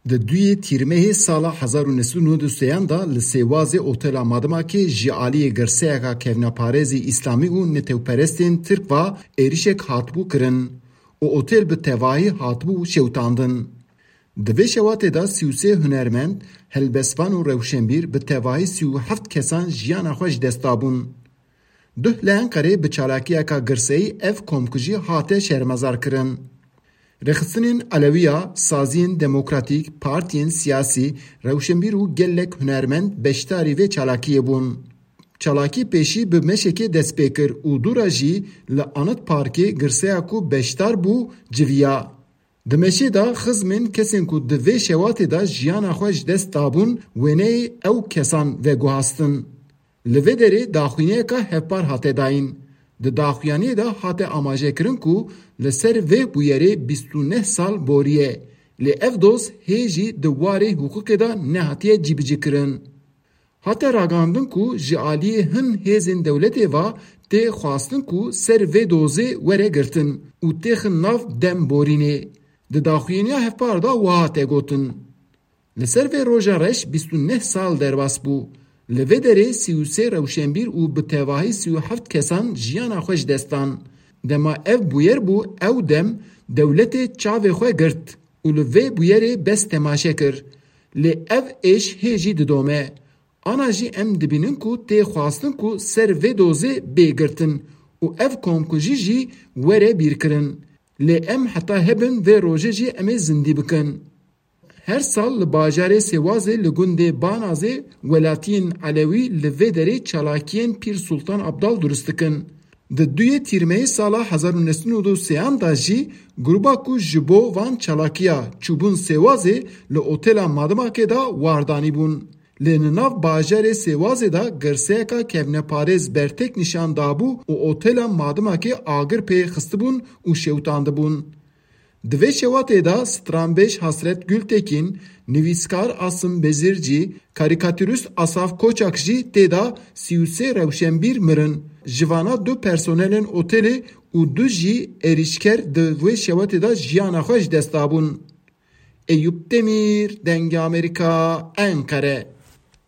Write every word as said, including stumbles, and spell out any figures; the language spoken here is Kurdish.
Di duyê Tîrmehê sala hezar û neh sed û nod û sêyan de li Sêwazê otela Madimakê ji aliyê girseyeka kevneparêzî îslamî û netewperestên Tirk ve êrişek hatibû kirin û otel bi tevahî hatibû şewitandin. Di vê şewatê de sî û sê hunermend, helbestvan û rewşenbîr bi tevahî sî û heft kesan jiyana xwe ji dest dabûn. Duh li Enqerê bi çalakiyeka girseyî ev komkujî hate şermezarkirin. Rêxistinên Elewiya, saziyên demokratîk, partiyên siyasî, rewşenbîr û gelek hunermend beşdarî vê çalakiyê bûn. Çalakî pêşî bi meşekê dest pê kir û dû re jî li Anıt Parkê girseya ku beşdar bû civiya. Di meşê de xizmên kesên ku di vê şewatê de jiyana xwe ji dest dabûn wêneyê ew kesan veguhastin. Li vê derê daxuyaniyeka hevpar hate dayîn. Di daxuyaniyê de hate amajekirin ku li ser vê bûyerê bîst û neh sal boriye, lê ev doz hê jî di warê hiqûqê de nehatiye cîbicîkirin. Hate ragihandin ku ji aliyê hin hêzên dewletê ve tê xwestin ku ser vê dozê were girtin û têxin nav dem borînê. Di daxuyaniya hevpar de wiha hate gotin: Li ser vê roja reş bîst û neh sal derbas bû. Li vê derê sî û sê rewşenbîr û bi tevahî sî û heft kesan jiyana xwe ji dest dan. Dema ev bûyer bû, ew dem dewletê çavê xwe girt û li vê bûyerê bes temaşe kir. Lê ev êş hê jî didome. Ana jî em dibînin ku tê xwestin ku ser vê dozê bê girtin û ev komkujî jî were bîrkirin. Lê em heta hebin vê rojê jî em ê zindî bikin. Her sal li bajarê Sêwazê li gundê Banazê welatiyên Elewî li vê derê çalakiyên Pîr Sultan Abdal durust dikin. Di duyê Tîrmeyê sala hezar û neh sed û nod û sêyan de jî gruba ku ji bo van çalakiya çûbûn Sêwazê li otela Madimakê de war danîbûn. Lê li nav bajarê Sêwazê de girseyeka kevneparêz bertek nîşan dabû û otela Madimakê agir pê xistibûn û şewitandibûn. Di vê şewatê de stranbêj Hasret Gultekin, nivîskar Asim Bezircî, karîkatûrist Asaf Koçak jî tê de sî û sê rewşenbîr mirin. Ji vana du personelên otelê û du jî êrîşker di vê şewatê de jiyana xwe ji dest dabûn. Eyûp Demîr, Dengê Amerîka, Enqere.